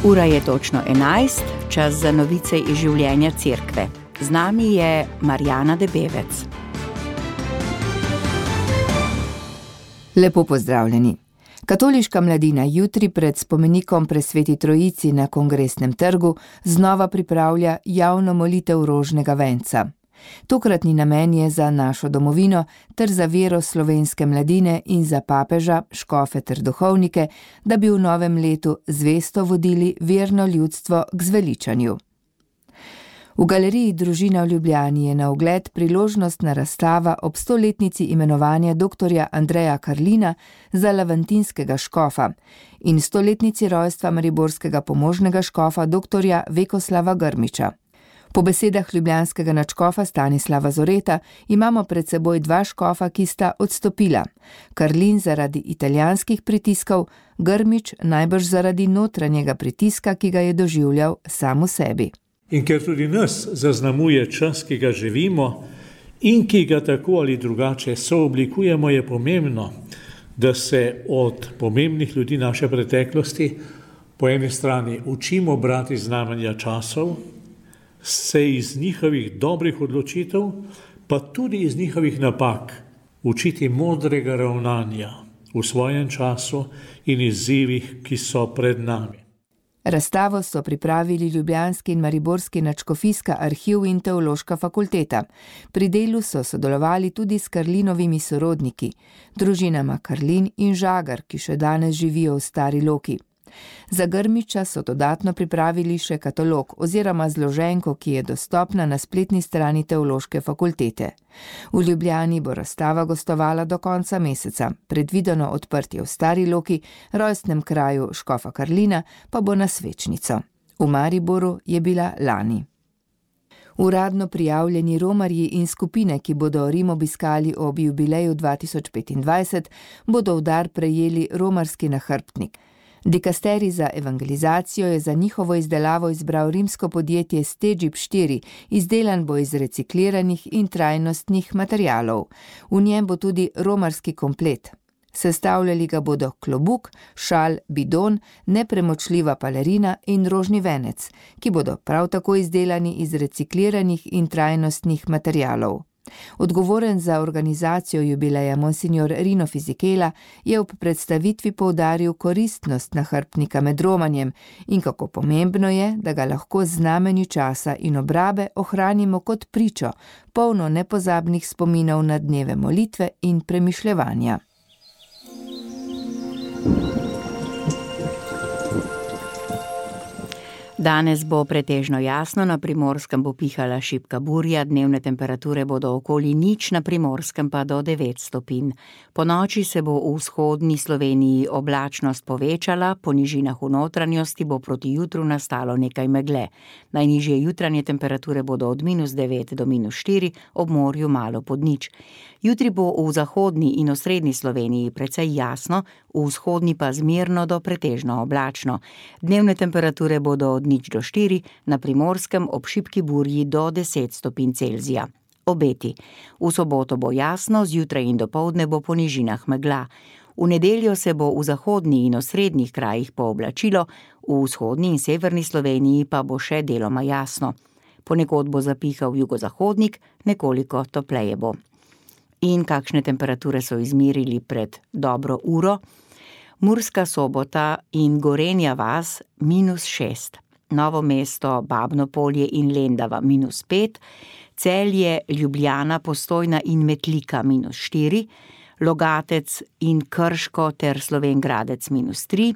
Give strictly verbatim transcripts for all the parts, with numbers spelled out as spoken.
Ura je točno enajst, čas za novice iz življenja cerkve. Z nami je Marjana Debevec. Lepo pozdravljeni. Katoliška mladina jutri pred spomenikom Presveti Trojici na Kongresnem trgu znova pripravlja javno molitev rožnega venca. Tokratni namen je za našo domovino ter za vero slovenske mladine in za papeža, škofe ter duhovnike, da bi v novem letu zvesto vodili verno ljudstvo k zveličanju. V galeriji Družina v Ljubljani je na ogled priložnostna razstava ob stoletnici imenovanja doktorja Andreja Karlina za laventinskega škofa in stoletnici rojstva mariborskega pomožnega škofa doktorja Vekoslava Grmiča. Po besedah ljubljanskega nadškofa Stanislava Zoreta imamo pred seboj dva škofa, ki sta odstopila. Karlin zaradi italijanskih pritiskov, Grmič najbrž zaradi notranjega pritiska, ki ga je doživljal sam v sebi. In ker tudi nas zaznamuje čas, ki ga živimo in ki ga tako ali drugače sooblikujemo, je pomembno, da se od pomembnih ljudi naše preteklosti po eni strani učimo brati znamenja časov, se iz njihovih dobrih odločitev, pa tudi iz njihovih napak, učiti modrega ravnanja v svojem času in izzivih, ki so pred nami. Razstavo so pripravili ljubljanski in mariborski nadškofijska arhiv in teološka fakulteta. Pri delu so sodelovali tudi s Karlinovimi sorodniki, družinama Karlin in Žagar, ki še danes živijo v Stari Loki. Za Grmiča so dodatno pripravili še katalog oziroma zloženko, ki je dostopna na spletni strani teološke fakultete. V Ljubljani bo razstava gostovala do konca meseca, predvideno odprtje v Stari Loki, rojstnem kraju škofa Karlina, pa bo na Svečnico. V Mariboru je bila lani. Uradno prijavljeni romarji in skupine, ki bodo Rim obiskali ob jubileju dva tisoč petindvajset, bodo v dar prejeli romarski nahrbtnik. Dikasterij za evangelizacijo je za njihovo izdelavo izbral rimsko podjetje Stegib štiri, izdelan bo iz recikliranih in trajnostnih materialov. V njem bo tudi romarski komplet. Sestavljali ga bodo klobuk, šal, bidon, nepremočljiva palerina in rožni venec, ki bodo prav tako izdelani iz recikliranih in trajnostnih materialov. Odgovoren za organizacijo jubileja monsignor Rino Fizikela je ob predstavitvi poudaril koristnost nahrbtnika med romanjem in kako pomembno je, da ga lahko z znamenju časa in obrabe ohranimo kot pričo, polno nepozabnih spominov na dneve molitve in premišljevanja. Danes bo pretežno jasno, na Primorskem bo pihala šibka burja, dnevne temperature bodo okoli nič, na Primorskem pa do devet stopinj. Po noči se bo v vzhodni Sloveniji oblačnost povečala, po nižinah v notranjosti bo proti jutru nastalo nekaj megle. Najnižje jutranje temperature bodo od minus devet do minus štiri, ob morju malo pod nič. Jutri bo v zahodni in osrednji Sloveniji precej jasno, v vzhodni pa zmerno do pretežno oblačno. Dnevne temperature bodo od nič do štiri, na Primorskem ob šibki burji do deset stopinj Celzija. Obeti. V soboto bo jasno, zjutraj in dopoldne bo po nižinah megla. V nedeljo se bo v zahodni in osrednjih krajih pooblačilo, v vzhodni in severni Sloveniji pa bo še deloma jasno. Ponekod bo zapihal jugozahodnik, nekoliko topleje bo. In kakšne temperature so izmerili pred dobro uro? Murska Sobota in Gorenja vas minus šest. Novo mesto, Babno Polje in Lendava minus pet, Celje, Ljubljana, Postojna in Metlika minus štiri, Logatec in Krško ter Slovenj Gradec minus tri,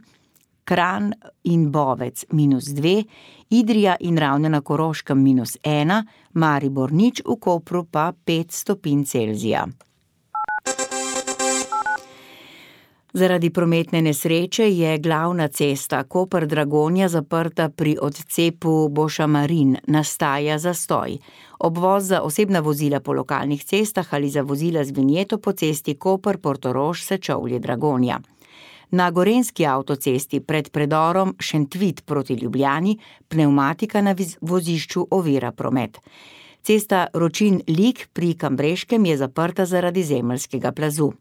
Kranj in Bovec minus dve, Idrija in Ravne na Koroškem minus ena, Maribor nič, v Kopru pa pet stopinj Celzija. Zaradi prometne nesreče je glavna cesta Koper-Dragonja zaprta pri odcepu Bošamarin, nastaja zastoj. Obvoz za osebna vozila po lokalnih cestah ali za vozila z vinjeto po cesti Koper-Portorož-Sečovlje-Dragonja. Na gorenjski avtocesti pred predorom Šentvit proti Ljubljani pnevmatika na vozišču ovira promet. Cesta Ročin-Lig pri Kambreškem je zaprta zaradi zemeljskega plazu.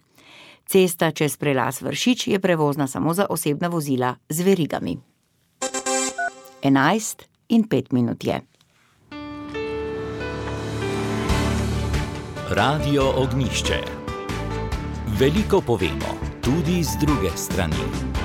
Cesta čez prelaz Vršič je prevozna samo za osebna vozila z verigami. Enajst in pet minut je. Radio Ognjišče. Veliko povemo, tudi z druge strani.